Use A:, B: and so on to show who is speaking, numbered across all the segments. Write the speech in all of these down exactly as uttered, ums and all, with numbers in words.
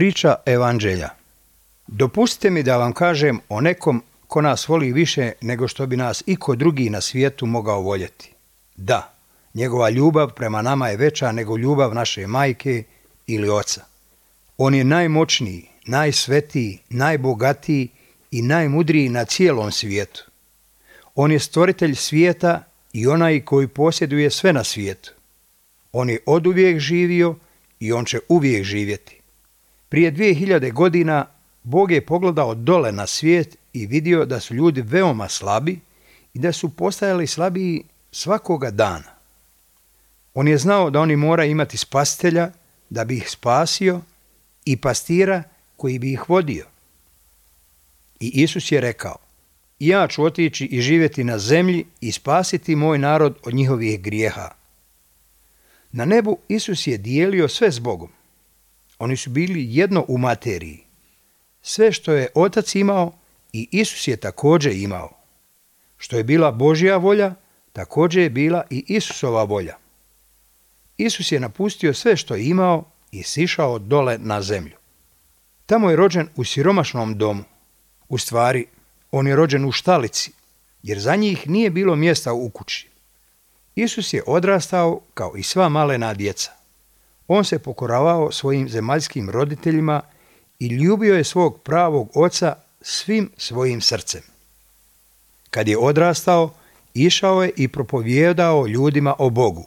A: Priča Evanđelja. Dopustite mi da vam kažem o nekom ko nas voli više nego što bi nas iko drugi na svijetu mogao voljeti. Da, njegova ljubav prema nama je veća nego ljubav naše majke ili oca. On je najmoćniji, najsvetiji, najbogatiji i najmudriji na cijelom svijetu. On je stvoritelj svijeta i onaj koji posjeduje sve na svijetu. On je oduvijek živio i on će uvijek živjeti. Prije dvije hiljade godina Bog je pogledao dole na svijet i vidio da su ljudi veoma slabi i da su postajali slabiji svakoga dana. On je znao da oni moraju imati spasitelja da bi ih spasio i pastira koji bi ih vodio. I Isus je rekao: ja ću otići i živjeti na zemlji i spasiti moj narod od njihovih grijeha. Na nebu Isus je dijelio sve s Bogom. Oni su bili jedno u materiji. Sve što je Otac imao i Isus je također imao. Što je bila Božja volja, također je bila i Isusova volja. Isus je napustio sve što je imao i sišao dole na zemlju. Tamo je rođen u siromašnom domu. U stvari, on je rođen u štalici, jer za njih nije bilo mjesta u kući. Isus je odrastao kao i sva malena djeca. On se pokoravao svojim zemaljskim roditeljima i ljubio je svog pravog oca svim svojim srcem. Kad je odrastao, išao je i propovijedao ljudima o Bogu.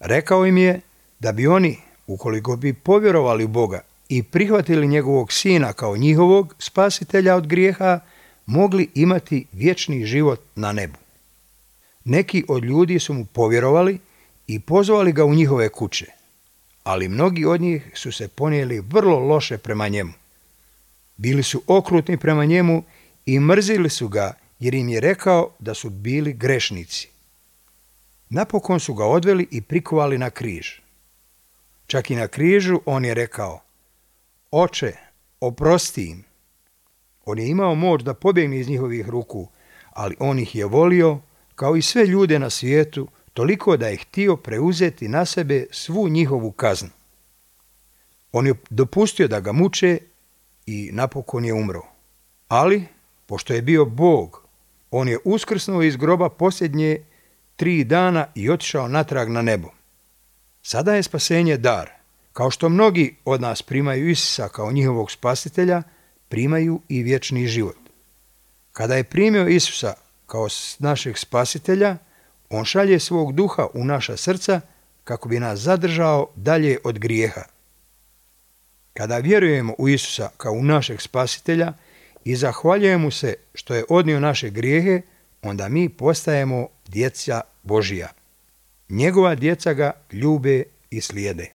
A: Rekao im je da bi oni, ukoliko bi povjerovali u Boga i prihvatili njegovog sina kao njihovog spasitelja od grijeha, mogli imati vječni život na nebu. Neki od ljudi su mu povjerovali i pozvali ga u njihove kuće, ali mnogi od njih su se ponijeli vrlo loše prema njemu. Bili su okrutni prema njemu i mrzili su ga jer im je rekao da su bili grešnici. Napokon su ga odveli i prikovali na križ. Čak i na križu on je rekao: Oče, oprosti im. On je imao moć da pobjegne iz njihovih ruku, ali on ih je volio kao i sve ljude na svijetu, toliko da je htio preuzeti na sebe svu njihovu kaznu. On je dopustio da ga muče i napokon je umro. Ali, pošto je bio Bog, on je uskrsnuo iz groba posljednje tri dana i otišao natrag na nebo. Sada je spasenje dar. Kao što mnogi od nas primaju Isusa kao njihovog spasitelja, primaju i vječni život. Kada je primio Isusa kao našeg spasitelja, on šalje svog duha u naša srca kako bi nas zadržao dalje od grijeha. Kada vjerujemo u Isusa kao u našeg spasitelja i zahvaljujemo mu se što je odnio naše grijehe, onda mi postajemo djeca Božija. Njegova djeca ga ljube i slijede.